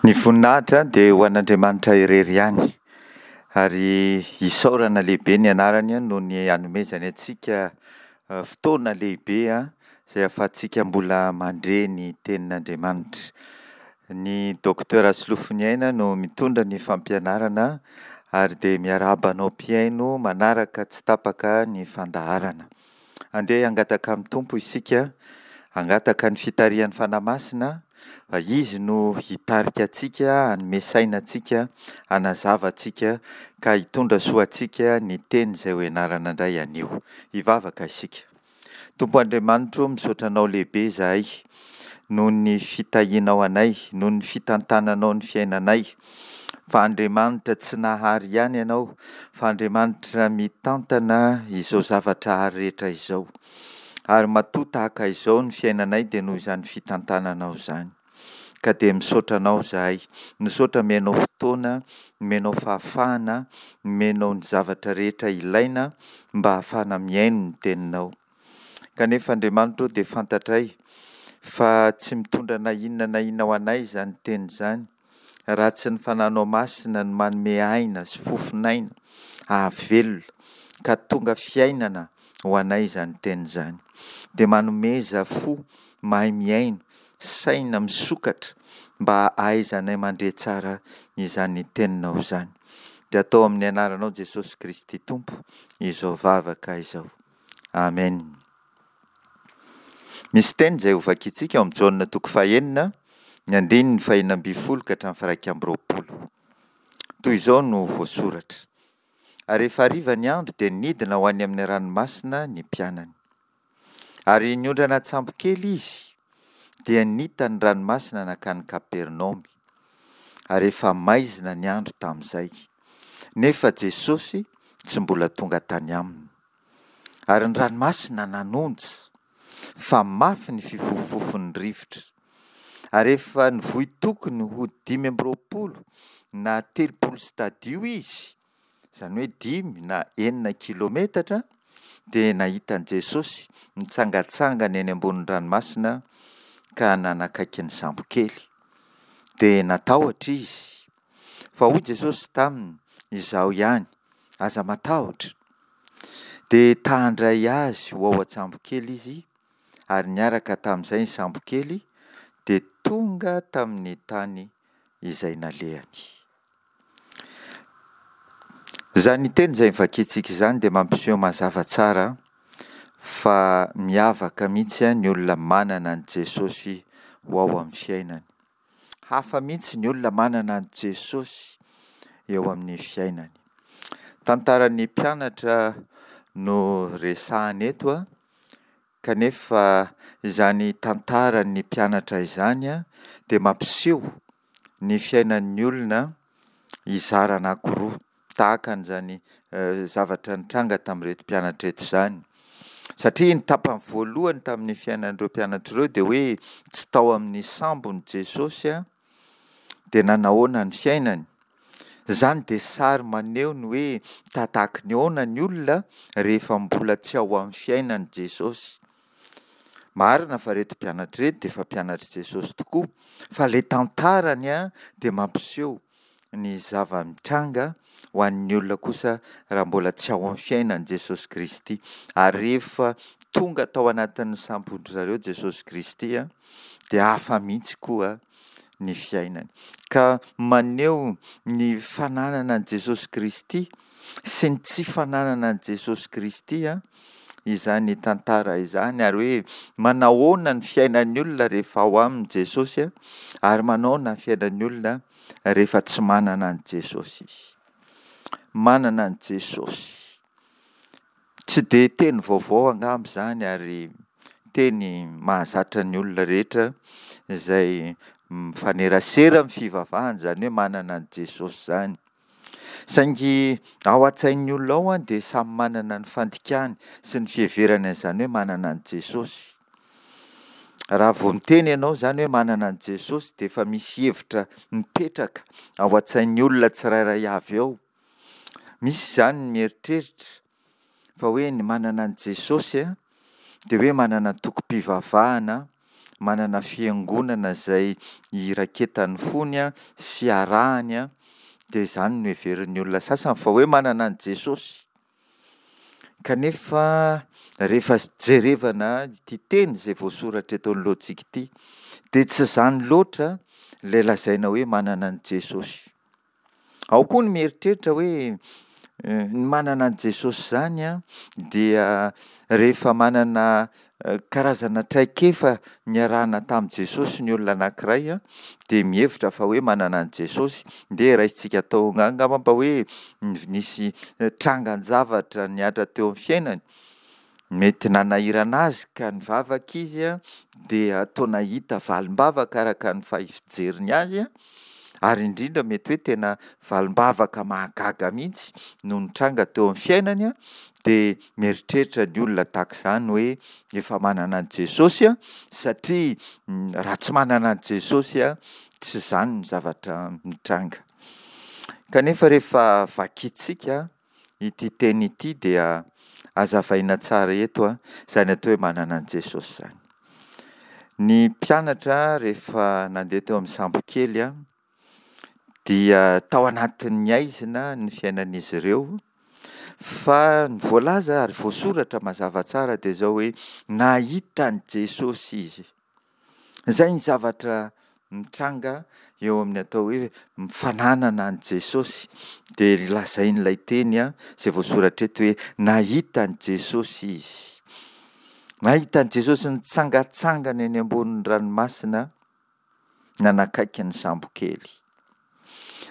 Ny voninahitra dia ho an'Andriamanitra irery ihany, ary isaorana lehibe ny anarany noho ny anomezany antsika fotoana lehibe izay ahafahantsika mbola mandre ny tenin'Andriamanitra. Ny Docteur Rasolofoniaina no mitondra ny fampianarana ary dia miarahaba anao mpihaino manaraka tsy tapaka ny fandaharana. Andeha hangataka amin'ny Tompo isika, hangataka ny fitarihan'ny Fanahy Masina, fa Izy no hitarika antsika, hanome saina antsika, hanazava antsika, ka hitondra soa antsika ny teny izay ho ianarana indray anio. Hivavaka isika. Tompo Andriamanitro, misaotra Anao lehibe izahay noho ny fitahianao anay, noho ny fitantananao ny fiainanay, fa Andriamanitra tsy nahary ihany Ianao, fa Andriamanitra mitantana izao zavatra ary rehetra izao. Ary matoa tahaka izao ny fiainanay dia noho izany fitantananao izany. Ka dia misaotra Anao izahay. Misaotra omenao fotoana, omenao fahafahana, omenao ny zavatra rehetra ilaina mba hahafahana mihaino ny Teninao. Kanefa Andriamanitra ô dia fantatray fa tsy mitondra na inona na inona ho anay izany teny izany raha tsy ny Fananao Masina no manome aina sy fofon'aina hahavelona ka tonga fiainana ho anay izany teny izany. Dia manomeza fo mahay mihaino, saina misokatra mba hahaizanay mandre tsara izany teninao izany. Dia atao amin'ny anaranao Jesosy Kristy Tompo izao vavaka izao. Amen. Misy teny izay hovakintsika ao amin'ny Jaona toko fahenina, ny andininy fahenina ambin'ny folo ka hatramin'ny firaika amby roapolo. Toy izao no voasoratra, Ary rehefa hariva ny andro dia nidina ho any amin'ny ranomasina ny mpianany. Ary niondrana an-tsambo kely izy, dia nita ny ranomasina nankany Kapernaomy. Ary efa maizina ny andro tamin'izay, nefa Jesosy tsy mbola tonga tany aminy. Ary ny ranomasina nanonja, fa mafy ny fifofofofon'ny rivotra. Ary efa nivoy tokony ho 25 na 30 stadio izy, izany hoe dimy na enina kilometatra, dia nahita an'i Jesosy nitsangantsangana eny ambonin'ny ranomasina ka nanakaiky ny sambokely. Dia natahotra izy. Fa hoy Jesosy taminy, Izaho ihany, aza matahotra. Dia ta-handray azy ho ao an-tsambokely izy, ary niaraka tamin'izay ny sambokely dia tonga tamin'ny tany izay nalehany. Izany teny izay novakintsika izany dia mampiseho mazava tsara fa miavaka mihitsy ny olona manana an'i Jesosy ho ao amin'ny fiainany. Hafa mihitsy ny olona manana an'i Jesosy eo amin'ny fiainany. Tantaran'ny mpianatra no resahana eto, kanefa izany tantaran'ny mpianatra izany dia mampiseho ny fiainan'ny olona hizara anankiroa. Tahaka an'izany zavatra nitranga tamin'ireto mpianatra ireto izany. Satria ny tapany voalohany tamin'ny fiainan'ireo mpianatra ireo dia hoe tsy tao amin'ny sambony Jesosy dia nanahoana ny fiainany. Izany dia sary maneho ny hoe tahatahaky ny ahoana ny olona rehefa mbola tsy ao amin'ny fiainany Jesosy. Marina fa ireto mpianatra ireto dia efa mpianatr'i Jesosy tokoa fa ilay tantarany dia mampiseho ny zava-mitranga ho an'ny olona kosa raha mbola tsy ao amin'ny fiainan'i Jesosy Kristy. Ary rehefa tonga tao anatin'ny sambon-dry zareo Jesosy Kristy dia hafa mihitsy koa ny fiainany. Ka maneho ny fananana an'i Jesosy Kristy sy ny tsy fananana an'i Jesosy Kristy izany tantara izany ary hoe manahoana ny fiainan'ny olona rehefa ao aminy Jesosy ary manahoana ny fiainan'ny olona rehefa tsy manana an'i Jesosy izy. Manana an'i Jesosy. Tsy dia teny vaovao angamba izany ary teny mahazatra ny olona rehetra izay mifanerasera amin'ny fivavahana izany hoe manana an'i Jesosy izany. Saingy ao an-tsain'ny olona ao dia samy manana ny fandikany sy ny fiheverany an'izany hoe manana an'i Jesosy. Raha vao miteny ianao izany hoe manana an'i Jesosy dia efa misy hevitra mipetraka ao an-tsain'ny olona tsirairay avy ao. Misy izany ny mieritreritra fa hoe ny manana an'i Jesosy dia hoe manana antokom-pivavahana, manana fiangonana izay iraketan'ny fony sy arahany, dia izany no heverin'ny olona sasany fa hoe manana an'i Jesosy. Kanefa rehefa jerevana ity teny izay voasoratra eto anoloantsika ity dia tsy izany loatra ilay lazaina hoe manana an'i Jesosy. Ao koa ny mieritreritra hoe ny manana an'i Jesosy izany dia rehefa manana karazana traikefa niarahana tamin'i Jesosy ny olona anankiray dia mihevitra fa hoe manana an'i Jesosy. Ndeha raisintsika atao angamba mba hoe nisy trangan-javatra nihatra teo amin'ny fiainany, mety nanahirana azy ka nivavaka izy dia toa nahita valim-bavaka araka ny fijeriny azy, ary indrindra mety hoe tena valim-bavaka mahagaga mihitsy no nitranga teo amin'ny fiainany, dia mieritreritra ny olona tahaka izany hoe efa manana an'i Jesosy satria raha tsy manana an'i Jesosy tsy izany ny zavatra mitranga. Kanefa rehefa vakintsika ity teny ity dia hazavaina tsara eto izany atao hoe manana an'i Jesosy izany. Ny mpianatra rehefa nandeha teo amin'ny sambokely dia tao anatin'ny haizina ny fiainan'izy ireo fa ny voalaza ary voasoratra mazava tsara dia izao hoe nahita an'i Jesosy izy. Izay ny zavatra mitranga eo amin'ny atao hoe fananana an'i Jesosy dia lazain'ilay teny izay voasoratra eto hoe nahita an'i Jesosy izy. Nahita an'i Jesosy nitsangantsangana eny ambonin'ny ranomasina nanakaiky ny sambokely.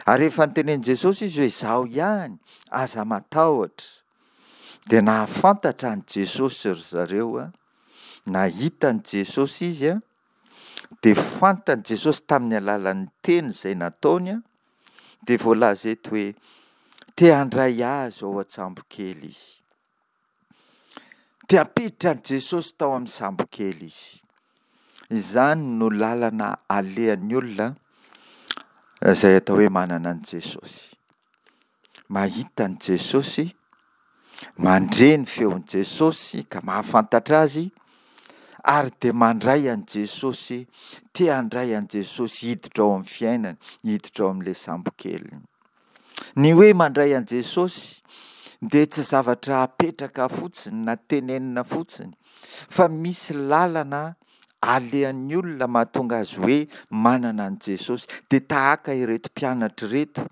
Ary rehefa notenenin'i Jesosy izy hoe izaho ihany, aza matahotra, dia nahafantatra an'i Jesosy ry zareo, nahita an'i Jesosy izy, dia fantan'i Jesosy tamin'ny alalan'ny teny izay nataony, dia voalaza eto hoe te handray azy ao an-tsambokely izy. Te hampiditra an'i Jesosy tao amin'ny sambokely izy. Izany no lalana alehan'ny olona izay atao hoe manana an'i Jesosy. Mahita an'i Jesosy, mandre ny feon'i Jesosy ka mahafantatra azy ary dia mandray an'i Jesosy, te handray an'i Jesosy hiditra ao amin'ny fiainany, hiditra ao amin'ilay sambokeliny. Ny hoe mandray an'i Jesosy dia tsy zavatra apetraka fotsiny na tenenina fotsiny fa misy lalana alehan'ny olona mahatonga azy hoe manana an'i Jesosy. Dia tahaka ireto mpianatra ireto,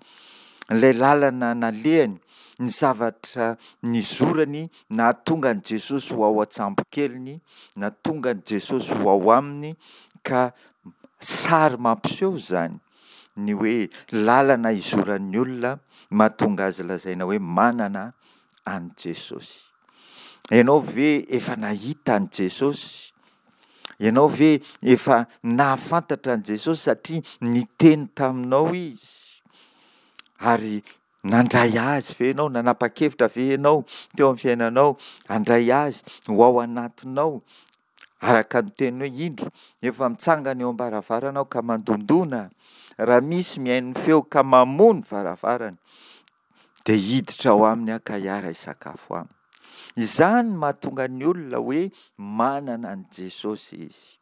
ilay lalana nalehany, ny zavatra nizorany nahatonga an'i Jesosy ho ao an-tsambokeliny, nahatonga an'i Jesosy ho ao aminy ka sary mampiseho izany. ny hoe lalana izoran'ny olona mahatonga azy lazaina hoe manana an'i Jesosy. Ianao ve efa nahita an'i Jesosy? Ianao ve efa nahafantatra an'i Jesosy satria niteny taminao Izy? Ary nandray Azy ve ianao? Nanapa-kevitra ve ianao teo amin'ny fiainanao handray Azy ho ao anatinao? Araka ny teniny hoe, Indro, efa mitsangana eo am-baravarana aho ka mandondòna, raha misy mihaino ny feoko ka mamoha ny varavarana, dia hiditra ao aminy aho ka hiara-hisakafo aminy. Izany no mahatonga ny olona hoe manana an'i Jesosy izy.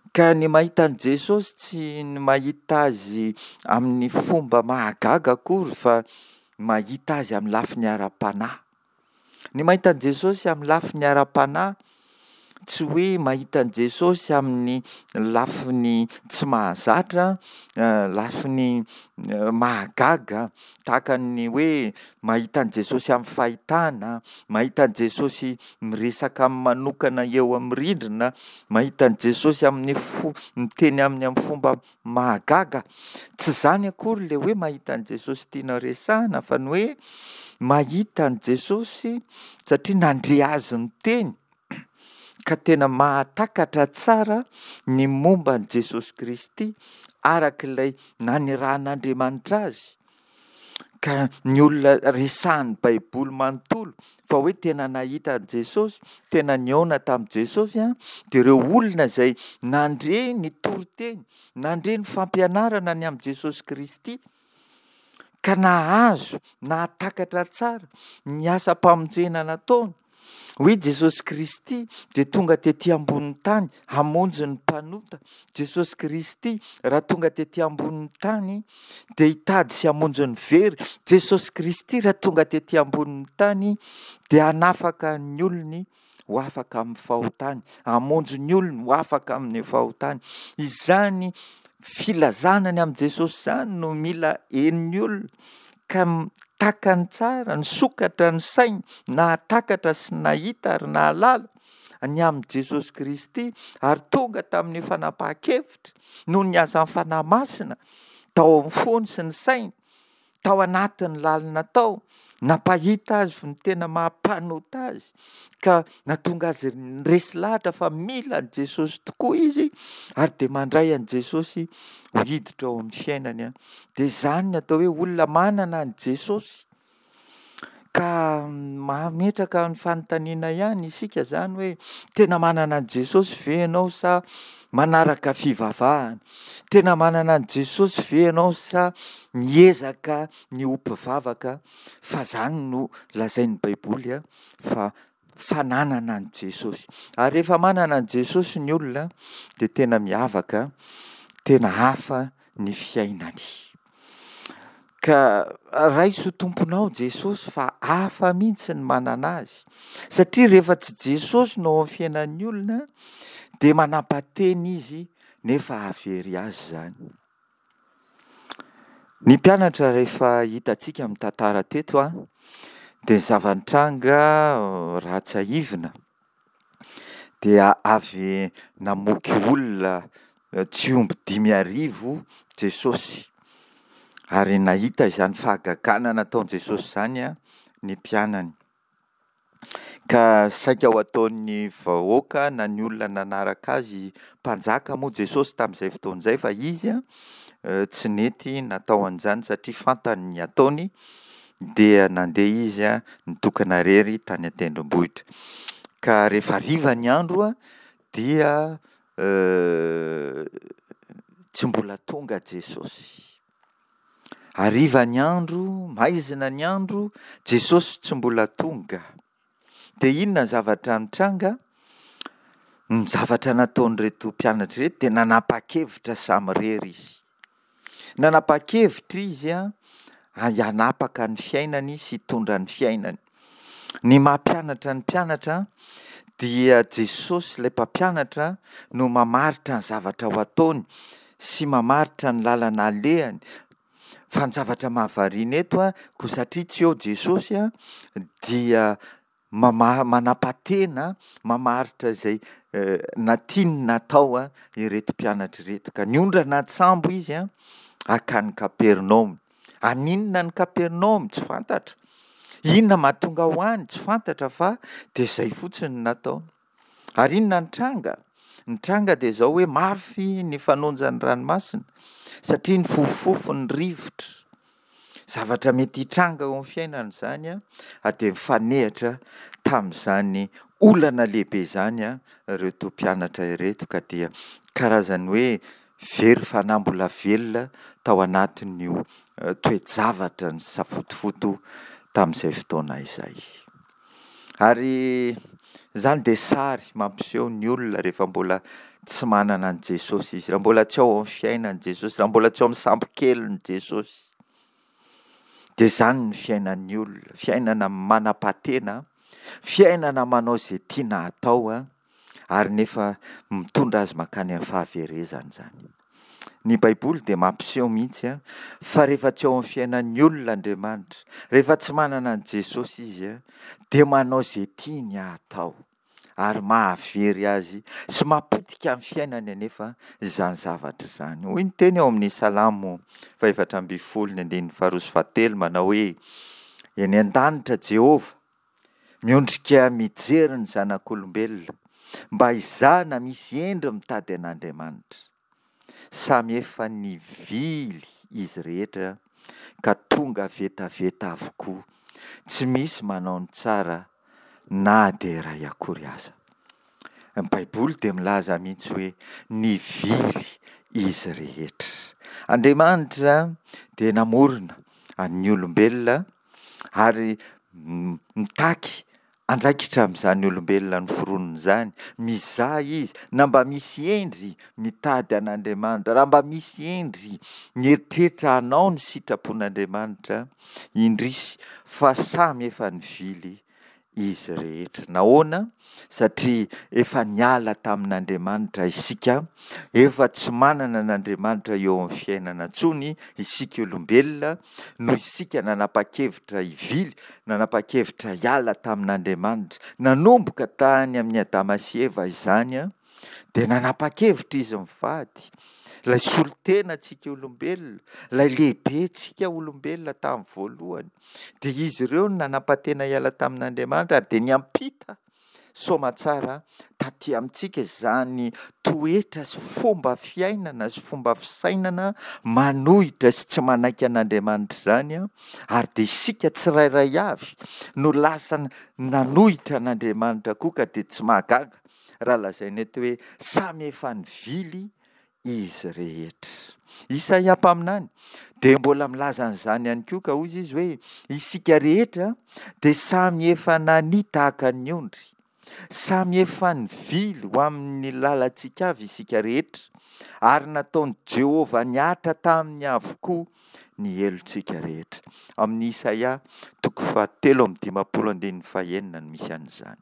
Ka ny mahita an'i Jesosy tsy ny mahita azy amin'ny fomba mahagaga akory fa mahita azy amin'ny lafiny ara-panahy. Ny mahita an'i Jesosy amin'ny lafiny ara-panahy, tsy hoe mahita an'i Jesosy amin'ny lafiny tsy mahazatra, lafiny mahagaga, tahaka ny hoe mahita an'i Jesosy amin'ny fahitana, mahita an'i Jesosy miresaka aminy manokana eo amin'ny rindrina, mahita an'i Jesosy amin'ny fo- miteny aminy amin'ny fomba Mahagaga! Tsy izany akory ilay hoe mahita an'i Jesosy tiana resahina fa ny hoe mahita an'i Jesosy satria nandre azy niteny ka tena mahatakatra tsara ny momba an'i Jesosy Kristy araka ilay nanirahan'Andriamanitra azy. Ka ny olona resahan'ny Baiboly manontolo fa hoe tena nahita an'i Jesosy, tena nihaona tamin'i Jesosy an, dia ireo olona izay nandre ny toriteny, nandre ny fampianarana ny amin'i Jesosy Kristy, ka nahazo, nahatakatra tsara ny asam-pamonjena nataony. Hoy Jesosy Kristy dia tonga tety ambonin'ny tany hamonjy ny mpanota. Jesosy Kristy raha tonga tety ambonin'ny tany dia hitady sy hamonjy ny very. Jesosy Kristy raha tonga tety ambonin'ny tany dia hanafaka ny olony ho afaka amin'ny fahotany, hamonjy ny olony ho afaka amin'ny fahotany. Izany filazana ny amin'i Jesosy izany no mila henon'ny olona ka takany tsara, nisokatra ny sainy, nahatakatra sy nahita ary nahalala ny amin'i Jesosy Kristy ary tonga tamin'ny fanapahan-kevitra noho ny asan'ny Fanahy Masina tao amin'ny fony sy ny sainy tao anatin'ny lalina tao, nampahita azy ny tena maha mpanota azy, ka nahatonga azy niresy lahatra fa mila an'i Jesosy tokoa izy, ary dia mandray an'i Jesosy ho hiditra ao amin'ny fiainany. Dia izany ny atao hoe olona manana an'i Jesosy. Ka mametraka ny fanontaniana ihany isika izany hoe tena manana an'i Jesosy ve ianao sa manaraka fivavahana? Tena manana an'i Jesosy ve ianao sa miezaka ny ho mpivavaka? Fa izany no lazain'ny Baiboly fa fananana an'i Jesosy. Ary rehefa manana an'i Jesosy ny olona dia tena miavaka, tena hafa ny fiainany. Ka raiso ho tomponao Jesosy fa hafa mihitsy ny manana azy. Satria rehefa tsy Jesosy no ao amin'ny fiainan'ny olona dia manampa-tena izy nefa hahavery azy izany. Ny mpianatra rehefa hitantsika amin'ny tantara teto dia ny zava-nitranga raha tsiahivina dia avy namoky olona tsy omby 5000 Jesosy, ary nahita izany fahagagana nataon'i Jesosy izany ny mpianany. Ka saika ho ataon'ny vahoaka na ny olona nanaraka azy mpanjaka moa Jesosy tamin'izay fotoana izay, fa izy tsy nety natao an'izany satria fantany ny ataony, dia nandeha izy nitokana irery tany an-tendrombohitra. Ka rehefa hariva ny andro dia tsy mbola tonga Jesosy. Hariva ny andro, maizina ny andro, Jesosy tsy mbola tonga. Dia inona ny zavatra nitranga? Ny zavatra nataon'ireto mpianatra ireto dia nanapa-kevitra samirery izy. Nanapa-kevitra izy hanapaka ny fiainany sy hitondra ny fiainany. Ny maha mpianatra ny mpianatra dia Jesosy ilay mpampianatra no mamaritra ny zavatra ho ataony sy mamaritra ny lalana alehany. Fa ny zavatra mahavariana eto, koa satria tsy eo Jesosy dia Mamaha, manapa-tena, mamaritra izay na tiany na atao ireto mpianatra ireto. Ka niondrana an-tsambo izy hankany Kapernaomy. Haninona any Kapernaomy? Tsy fantatra. Inona mahatonga ho any? Tsy fantatra fa dia izay fotsiny no nataony. Ary inona ny tranga? Ny tranga dia izao hoe mafy ny fanonjan'ny ranomasina satria nifofofofo ny rivotra. Zavatra mety hitranga eo amin'ny fiainana izany ary dia nifanehatra tamin'izany olana lehibe izany ireto mpianatra ireto ka dia karazan'ny hoe very fanahy mbola velona tao anatin'io toe-javatra nisafotofoto tamin'izay fotoana izay. Ary izany dia sary mampiseho ny olona rehefa mbola tsy manana an'i Jesosy izy, raha mbola tsy ao amin'ny fiainan'i Jesosy, raha mbola tsy ao amin'ny sambokelin'i Jesosy. Dia izany ny fiainan'ny olona, fiainana manam-patena, fiainana manao izay tiana hatao, ary nefa mitondra azy mankany amin'ny fahaverezana izany. Ny Baiboly dia mampiseho mihitsy fa rehefa tsy ao amin'ny fiainan'ny olona Andriamanitra, rehefa tsy manana an'i Jesosy izy, dia manao izay tiany hatao, ary mahavery azy sy mapotika ny fiainany anefa izany zavatra izany. Hoy ny teny ao amin'ny Salamo faha-14 ny andininy faharoa sy fahatelo manao hoe, Eny an-danitra Jehovah, Miondrika mijery ny zanak'olombelona mba hizaha na misy hendry mitady an'Andriamanitra. Samy efa nivily izy rehetra ka tonga vetaveta avokoa, tsy misy manao ny tsara na dia iray akory aza. Ny Baiboly dia milaza mihitsy hoe nivily izy rehetra. Andriamanitra dia namorona an'ny olombelona ary mitaky andraikitra amin'izany olombelona noforoniny izany, mizaha Izy na mba misy hendry mitady an'Andriamanitra, raha mba misy hendry mieritreritra hanao ny sitrapon'Andriamanitra, indrisy fa samy efa nivily izy rehetra. Nahoana? Satria efa niala tamin'Andriamanitra isika, efa tsy manana an'Andriamanitra eo amin'ny fiainana intsony isika olombelona, noho isika nanapa-kevitra hivily, nanapa-kevitra hiala tamin'Andriamanitra. Nanomboka tany amin'i Adama sy Eva izany, dia nanapa-kevitra izy mivady, ilay solontenantsika olombelona, ilay lehibentsika olombelona tamin'ny voalohany, dia izy ireo no nanapa-tena hiala tamin'Andriamanitra ary dia niampita soamatsara taty amintsika izany toetra sy fomba fiainana sy fomba fisainana manohitra sy tsy manaiky an'Andriamanitra izany, ary dia isika tsirairay avy no lasa nanohitra an'Andriamanitra koa ka dia tsy mahagaga raha lazaina eto hoe samy efa nivily izy rehetra. Isaia mpaminany dia mbola milaza an'izany ihany koa ka hoy izy hoe isika rehetra dia samy efa nania tahaka ny ondry, samy efa nivily ho amin'ny lalantsika avy isika rehetra, ary nataon'i Jehovah nihatra taminy avokoa ny helotsika rehetra. Amin'ny Isaia toko fahatelo amby dimampolo andininy fahenina no misy an'izany.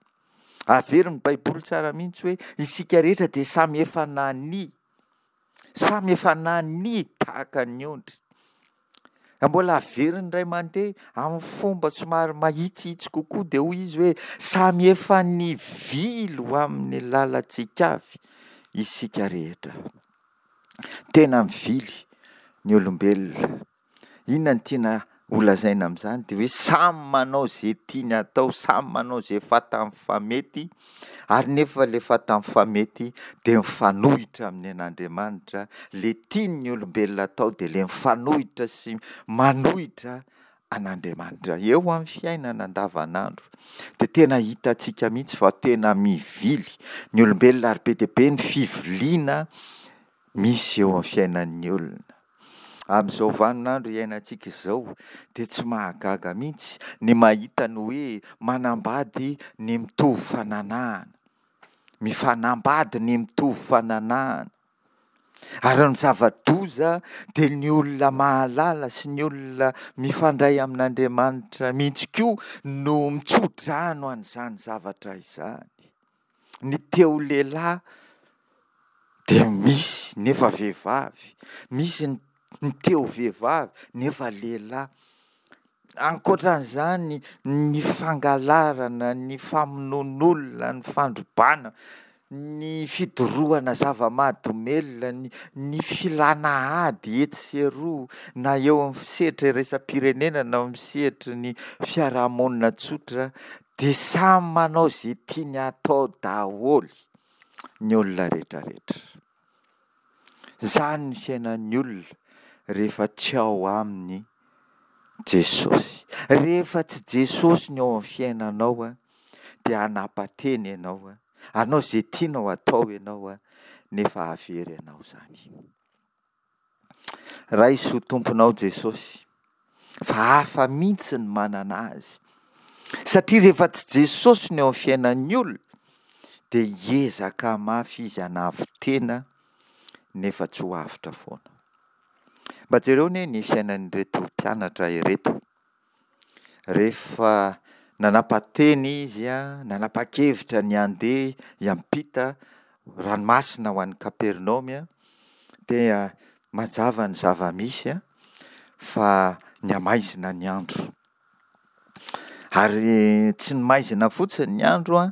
Averin'ny Baiboly tsara mihitsy hoe isika rehetra dia samy efa nania, samy efa nania tahaka ny ondry. Mbola averiny indray mandeha amin'ny fomba somary mahitsihitsy kokoa dia hoy izy hoe samy efa nivily ho amin'ny lalantsika avy isika rehetra. Tena mivily ny olombelona. Inona no tiana holazaina amin'izany? Dia hoe samy manao izay tiany hatao, samy manao izay fantany fa mety, ary nefa ilay fantany fa mety dia mifanohitra amin'ny an'Andriamanitra, ilay tian'ny olombelona atao dia ilay mifanohitra sy manohitra an'Andriamanitra. Eo amin'ny fiainana andavanandro dia tena hitantsika mihitsy fa tena mivily ny olombelona ary be dia be ny fiviliana misy eo amin'ny fiainan'ny olona. Amin'izao vaninandro iainantsika izao dia tsy mahagaga mihitsy ny mahita ny hoe manambady ny mitovy fananahana. Mifanambady ny mitovy fananahana. Ary ny zava-doza dia ny olona mahalala sy ny olona mifandray amin'Andriamanitra mihitsy koa no mitso-drano an'izany zavatra izany. Ny te ho lehilahy dia misy nefa vehivavy, misy ny te ho vehivavy nefa lehilahy. Ankoatran'izany ny fangalarana, ny famonoan'olona, ny fandrobana, ny fidorohana zava-mahadomelina, ny ny filana ady etsy sy eroa na eo amin'ny sehatra iraisam-pirenena na eo amin'ny sehatry ny fiarahamonina tsotra Dia samy manao izay tiany hatao daholo ny olona rehetrarehetra. Izany ny fiainan'ny olona rehefa tsy ao aminy Jesosy. Rehefa tsy Jesosy ny ao amin'ny fiainanao dia hanapa-tena ianao, hanao izay tianao hatao ianao nefa hahavery anao izany. Raiso ho Tomponao Jesosy fa hafa mihitsy ny manana Azy. Satria rehefa tsy Jesosy no eo amin'ny fiainan'ny olona dia hiezaka mafy izy hanavo-tena nefa tsy ho avotra foana. Mba jereo anie ny fiainan'ireto mpianatra ireto. Rehefa nanapa-teny izy, nanapa-kevitra ny handeha hiampita ranomasina ho any Kapernaomy, dia mazava ny zava-misy fa nihamaizina ny andro. Ary tsy ny maizina fotsiny ny andro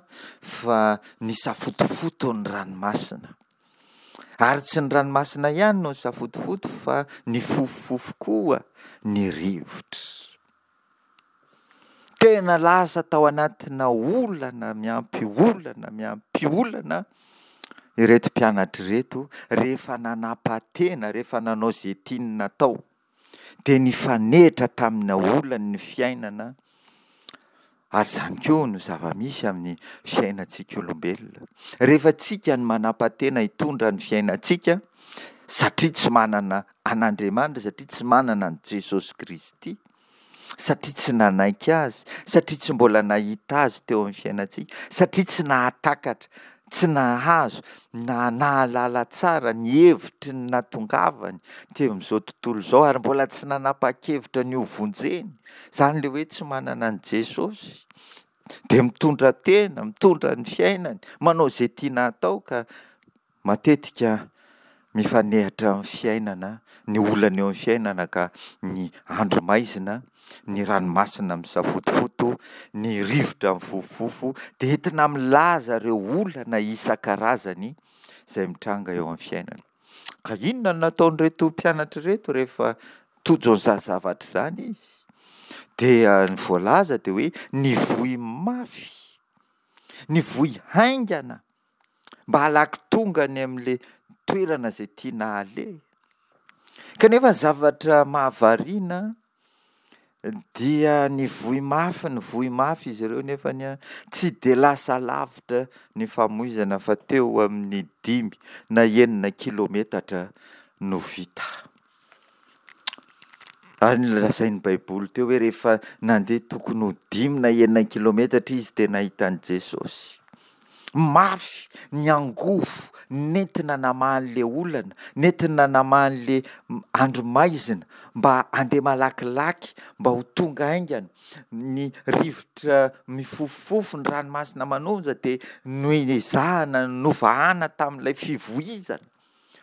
fa nisafotofoto ny ranomasina. Ary tsy ny ranomasina ihany no nisafotofoto fa nifofofofo koa ny rivotra. Tena lasa tao anatina olana miampy olana miampy olana ireto mpianatra ireto rehefa nanapa-tena, rehefa nanao izay tiany natao. Dia nifanehitra tamina olan'ny fiainana Ary izany koa no zava-misy amin'ny fiainantsika olombelona. Rehefa tsika no manapa-tena hitondra ny fiainantsika, satria tsy manana an'Andriamanitra, satria tsy manana an'i Jesosy Kristy, Satria tsy nanaiky Azy, satria tsy mbola nahita Azy teo amin'ny fiainantsika, satria tsy nahatakatra, tsy nahazo, na nahalala tsara ny hevitry ny nahatongavany teo amin'izao tontolo izao ary mbola tsy nanapa-kevitra ny hovonjeny. Izany ilay hoe tsy manana an'i Jesosy. Dia mitondra tena, mitondra ny fiainany, manao izay tiana hatao ka Matetika mifanehatra amin'ny fiainana ny olana eo amin'ny fiainana ka ny andro maizina, ny ranomasina misafotofoto, ny rivotra mifofofofo dia entina milaza ireo olana isan-karazany izay mitranga eo amin'ny fiainana. Ka inona no nataon'ireto mpianatra ireto rehefa tojo an'izany zavatra izany izy? Dia ny voalaza dia hoe nivoy mafy, nivoy haingana mba halaky tonga any amin'ilay toerana izay tiana haleha. Kanefa ny zavatra mahavariana dia nivoy mafy nivoy mafy izy ireo nefa tsy dia lasa lavitra ny famoizana fa teo amin'ny dimy na enina kilometatra no vita. Ary nolazain'ny Baiboly teo hoe rehefa nandeha tokony ho dimy na enina kilometatra izy dia nahita an'i Jesosy. Mafy ny angovo nentina namaha an'ilay olana, nentina namaha an'ilay andro maizina mba handeha malakilaky, mba ho tonga haingana. Ny rivotra mifofofofo, ny ranomasina manonja dia noezahana novahana tamin'ilay fivoizana.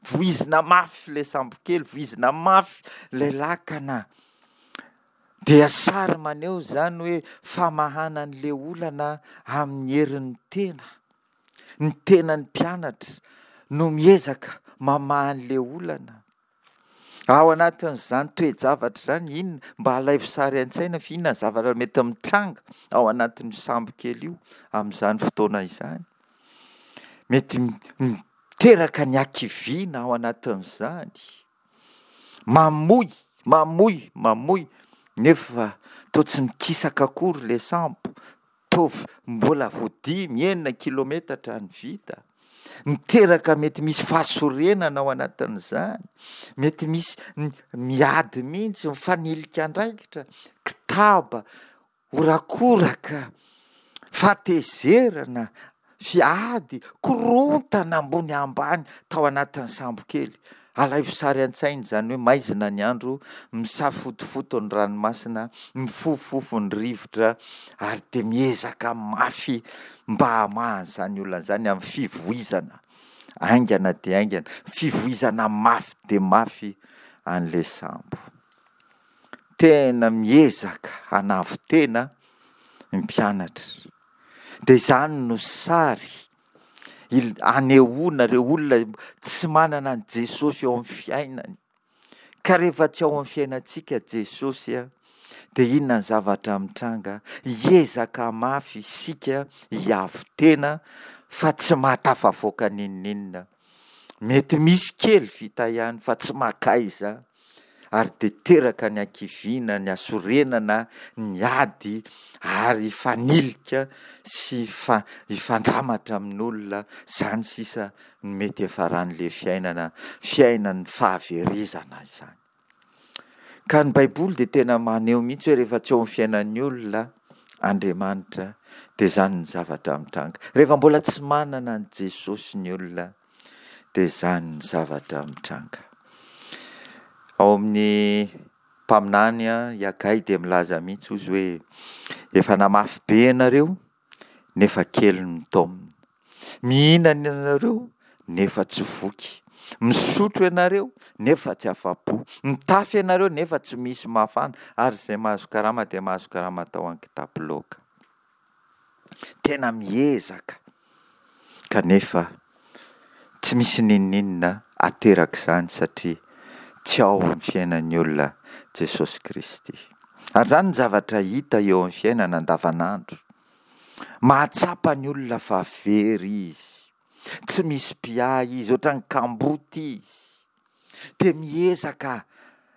Voizina mafy ilay sambokely, voizina mafy ilay lakana. Dia sary maneho izany hoe famahana an'ilay olana amin'ny herin'ny tena. Ny tenan'ny mpianatra no miezaka mamaha an'ilay olana. Ao anatin'izany toe-javatra izany, inona, mba alaivo sary an-tsaina fa inona ny zavatra mety mitranga ao anatin'io sambokely io amin'izany fotoana izany. Mety miteraka ny hakiviana ao anatin'izany. Mamoy, mamoy, mamoy, nefa toa tsy mikisaka akory ilay sambo, toa mbola vao dimy, enina kilometatra ny vita. Miteraka mety misy fahasorenana ao anatin'izany, mety misy miady mihitsy, mifanilika andraikitra, kitaba, Horakoraka, fahatezerana sy ady, korontana ambony ambany tao anatin'ny sambokely. Alaivo sary an-tsaina izany hoe maizina ny andro, misafotofoto ny ranomasina, mifofofofo ny rivotra ary dia miezaka mafy mba hamaha an'izany olana izany amin'ny fivoizana haingana dia haingana, fivoizana mafy dia mafy an'ilay sambo. Tena miezaka hanavo-tena ny mpianatra. Dia izany no sary anehoana ireo olona tsy manana an'i Jesosy eo amin'ny fiainany. Ka rehefa tsy ao amin'ny fiainantsika Jesosy, dia inona ny zavatra mitranga? Hiezaka mafy isika hiavo-tena fa tsy mahatafavoaka n'inon'inona. Mety misy kely vita ihany fa tsy mankaiza ary dia teraka ny hakiviana, ny hasorenana, ny ady ary hifanilika sy hifandramatra amin'olona, izany sisa no mety hiafaran'ilay fiainana, fiainan'ny fahaverezana izany. Ka ny Baiboly dia tena maneho mihitsy hoe rehefa tsy eo amin'ny fiainan'ny olona Andriamanitra dia izany ny zavatra mitranga. Rehefa mbola tsy manana an'i Jesosy ny olona dia izany ny zavatra mitranga. Ao amin'ny mpaminany i Hagay dia milaza mihitsy ozy hoe efa namafy be ianareo nefa kely ny taomina. Mihinana ianareo nefa tsy voky. Misotro ianareo nefa tsy afa-po. Mitafy ianareo nefa tsy misy mafana. Ary izay mahazo karama dia mahazo karama atao an-kitapo loaka. Tena miezaka kanefa tsy misy n'inon'inona aterak'izany satria tsy ao amin'ny fiainan'ny olona Jesosy Kristy. Ary izany ny zavatra hita eo amin'ny fiainana andavanandro. Mahatsapa ny olona fa very izy. Tsy misy mpiahy izy, ohatran'ny kamboty izy. Dia miezaka.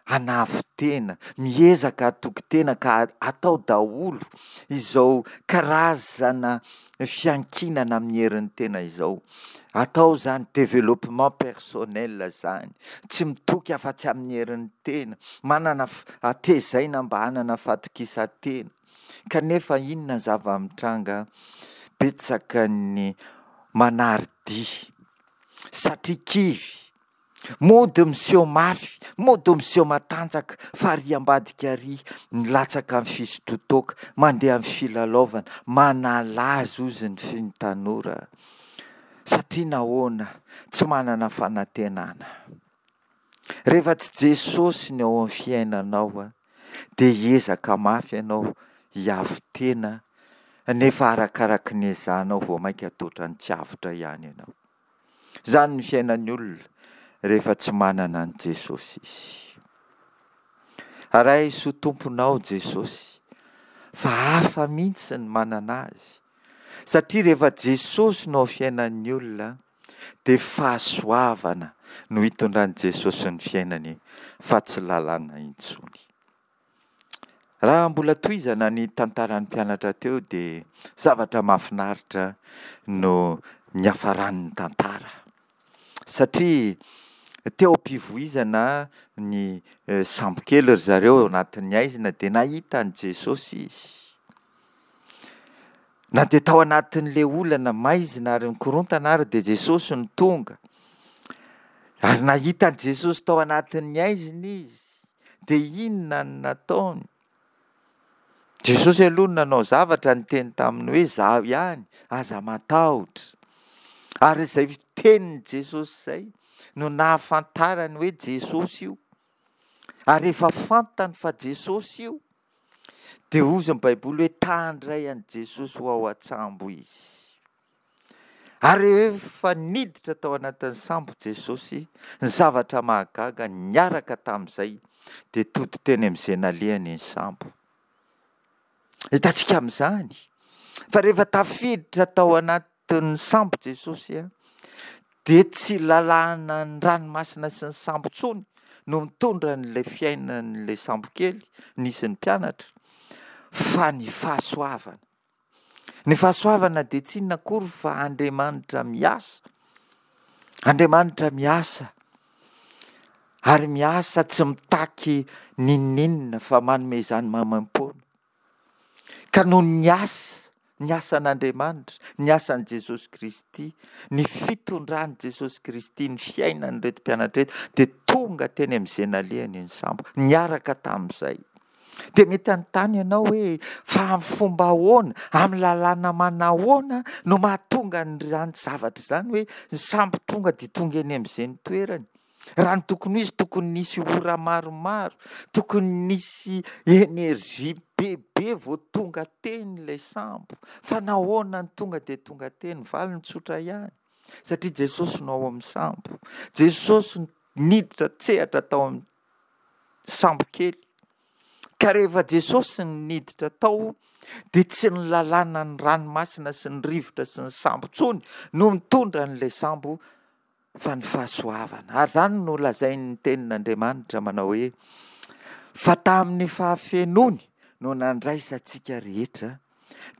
hanavo-tena, miezaka hatoky tena ka atao daholo izao karazana fiankinana amin'ny herin'ny tena izao. Atao izany développement personnel izany, tsy mitoky afa-tsy amin'ny herin'ny tena, manana tezaina mba hanana fahatokisan-tena. Kanefa inona ny zava-mitranga? Betsaka ny manary dia satria kivy. Mody miseho mafy, mody miseho matanjaka fa ary ambadika ary milatsaka amin'ny fisotroan-toaka, mandeha amin'ny filalaovana, manala azy hozy ny ny tanora. Satria nahoana? Tsy manana fanantenana. Rehefa tsy Jesosy ny ao amin'ny fiainanao dia hiezaka mafy ianao hiavo-tena nefa arakaraky ny ezahanao vao mainka toa ny tsy avotra ihany ianao. Izany ny fiainan'ny olona rehefa tsy manana an'i Jesosy izy. Raiso ho Tomponao Jesosy fa hafa mihitsy ny manana Azy satria rehefa Jesosy no ao fiainan'ny olona dia fahasoavana no hitondran'i Jesosy ny fiainany fa tsy lalàna intsony. Raha mbola tohizana ny tantaran'ny mpianatra teo dia zavatra mahafinaritra no niafaran'ny tantara. Satria teo am-pivoizana ny sambokely ry zareo ao anatin'ny haizina dia nahita an'i Jesosy izy. Na dia tao anatin'ilay olana maizina ary nikorontana ary dia Jesosy no tonga. Ary nahita an'i Jesosy tao anatin'ny haizina izy. Dia inona no nataony? Jesosy aloha no nanao zavatra niteny taminy hoe izaho ihany, aza matahotra. Ary izay tenin'i Jesosy izay no nahafantarany hoe Jesosy io. Ary rehefa fantany fa Jesosy io, dia hozy ny Baiboly hoe ta handray an'i Jesosy ho ao an-tsambo izy. Ary rehefa niditra tao anatin'ny sambo Jesosy, ny zavatra mahagaga niaraka tamin'izay dia tody teny amin'izay nalehany ny sambo. Hitantsika amin'izany fa rehefa tafiditra tao anatin'ny sambo Jesosy dia tsy lalàna ny ranomasina sy ny sambo intsony no mitondra an'ilay fiainan'ilay sambokely nisy ny mpianatra fa ny fahasoavana. Ny fahasoavana dia tsy inona akory fa Andriamanitra miasa. Andriamanitra miasa. Ary miasa tsy mitaky n'inon'inona fa manome izany maimaimpoana. Ka noho ny asa, ny asan'Andriamanitra, ny asan'i Jesosy Kristy, ny fitondran'i Jesosy Kristy ny fiainan'ireto mpianatra ireto dia tonga teny amin'izay nalehany ny sambo, niaraka tamin'izay. Dia mety hanontany ianao hoe, fa amin'ny fomba ahoana, amin'ny lalàna manahoana no mahatonga an'izany zavatra izany hoe ny sambo tonga dia tonga eny amin'izay ny toerany? Raha ny tokony ho izy, tokony nisy ora maromaro, tokony nisy énergie bebe vao tonga teny ilay sambo. Fa nahoana no tonga dia tonga teny? Valiny tsotra ihany. Satria Jesosy no ao amin'ny sambo. Jesosy niditra an-tsehatra tao amin'ny sambo kely. Ka rehefa Jesosy no niditra tao dia tsy ny lalànan'ny ranomasina sy ny rivotra sy ny sambo intsony no nitondra an'ilay sambo fa ny fahasoavana. Ary izany no lazain'ny tenin'Andriamanitra manao hoe fa tamin'ny fahafenoany no nandraisantsika rehetra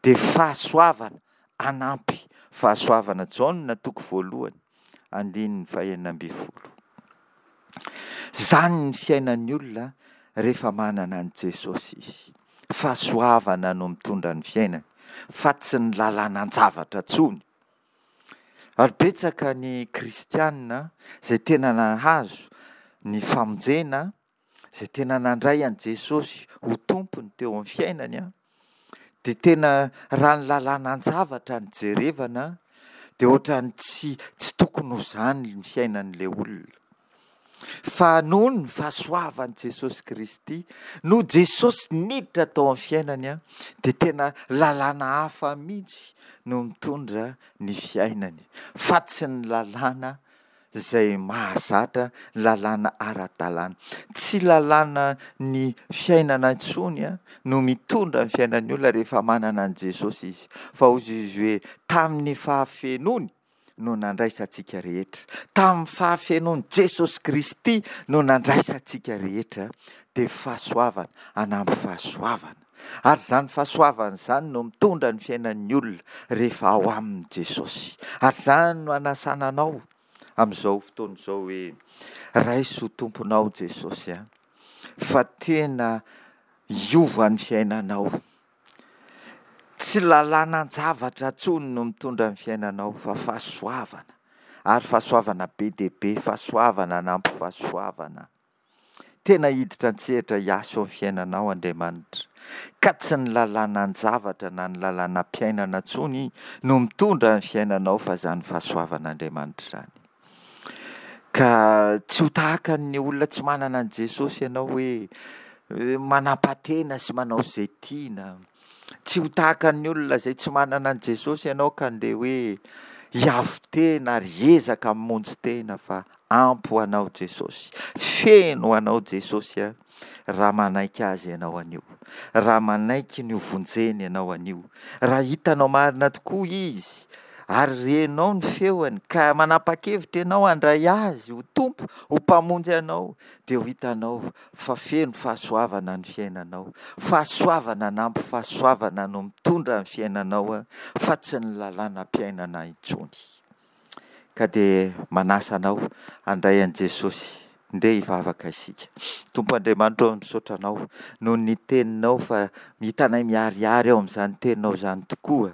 dia fahasoavana anampy fahasoavana. Jaona toko voalohany andininy fahenina ambin'ny folo. Izany ny fiainan'ny olona rehefa manana an'i Jesosy izy. Fahasoavana no mitondra ny fiainany fa tsy ny lalànan-javatra intsony. Ary betsaka ny kristiana izay tena nahazo ny famonjena izay tena nandray an'i Jesosy ho Tompony teo amin'ny fiainany an, dia tena raha ny lalànan-javatra no jerevana dia ohatran'ny tsy tsy tokony ho izany ny fiainan'ilay olona. Fa noho ny fahasoavan'i Jesosy Kristy, noho Jesosy niditra tao amin'ny fiainany an, dia tena lalàna hafa mihitsy no mitondra ny fiainany, fa tsy ny lalàna izay mahazatra lalàna ara-dalàna. Tsy lalàna ny fiainana intsony no mitondra ny fiainan'ny olona rehefa manana an'i Jesosy izy. Fa hoy izy hoe tamin'ny fahafenoany no nandraisantsika rehetra, tamin'ny fahafenoan'i Jesosy Kristy no nandraisantsika rehetra, dia fahasoavana anampy fahasoavana. Ary izany fahasoavana izany no mitondra ny fiainan'ny olona rehefa ao aminy Jesosy. Ary izany no anasana anao amin'izao fotoana izao hoe, raiso ho Tomponao Jesosy a, fa tena hiova ny fiainanao. Tsy lalànan-javatra intsony no mitondra ny fiainanao fa fahasoavana, ary fahasoavana be dia be, fahasoavana anampy fahasoavana. Tena hiditra an-tsehatra hiasa eo amin'ny fiainanao Andriamanitra, ka tsy ny lalànan-javatra na ny lalànam-piainana intsony no mitondra ny fiainanao fa izany fahasoavan'Andriamanitra izany. Ka tsy ho tahaka ny olona tsy manana an'i Jesosy ianao hoe manampa-tena sy manao izay tiana. Tsy ho tahaka ny olona izay tsy manana an'i Jesosy ianao ka ndeha hoe hiavo-tena ary hiezaka hamonjy tena fa ampy ho anao Jesosy. Feno ho anao Jesosy a, raha manaiky Azy ianao anio. Raha manaiky ny ho vonjeny ianao anio. Raha hitanao marina tokoa Izy ary renao ny feony ka manapa-kevitra ianao handray Azy ho Tompo, ho Mpamonjy anao dia ho hitanao fa feno fahasoavana ny fiainanao. Fahasoavana anampy fahasoavana no mitondra ny fiainanao fa tsy ny lalànam-piainana intsony. Ka dia manasa anao handray an'i Jesosy. Ndeha hivavaka isika. Tompo Andriamanitra ô, misaotra Anao noho ny Teninao fa hitanay miharihary ao amin'izany Teninao izany tokoa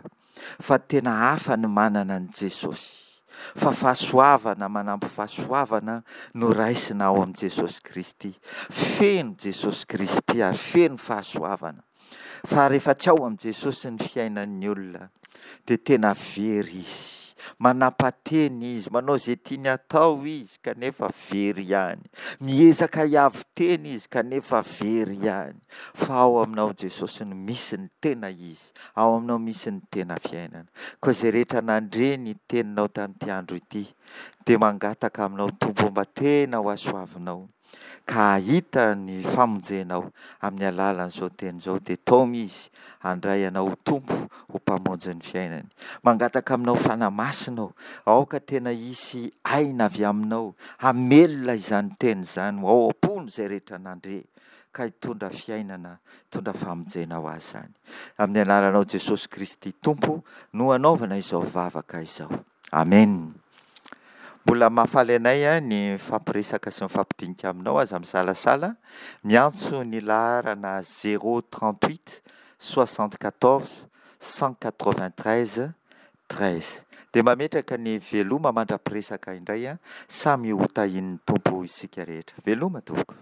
fa tena hafa ny manana an'i Jesosy, fa fahasoavana manampy fahasoavana no raisina ao amin'i Jesosy Kristy. Feno Jesosy Kristy ary feno fahasoavana. Fa rehefa tsy ao amin'i Jesosy ny fiainan'ny olona dia tena very izy. Manapa-tena izy, manao izay tiany atao izy kanefa very ihany. Miezaka hiavo-tena izy kanefa very ihany. Fa ao aminao Jesosy no misy ny tena izy. Ao aminao misy ny tena fiainana. Koa izay rehetra nandre ny teninao tamin'ity andro ity dia mangataka aminao Tompo mba tena ho hasoavinao ka hahita ny famonjenao amin'ny alalan'izao teny izao dia taomy izy handray anao ho Tompo ho Mpamonjy ny fiainany. Mangataka aminao Fanahy Masina ô, aoka tena hisy aina avy aminao hamelona izany teny izany ho ao am-pony izay rehetra nandre ka hitondra fiainana, hitondra famonjena ho azy izany. Amin'ny anaranao Jesosy Kristy Tompo no anaovana izao vavaka izao. Amen. Mbola mahafaly anay ny mifampiresaka sy mifampidinika aminao, aza misalasala miantso ny laharana 038 74 193 13. Dia mametraka ny veloma mandra-piresaka indray, samy ho tahian'ny Tompo isika rehetra. Veloma tompoko.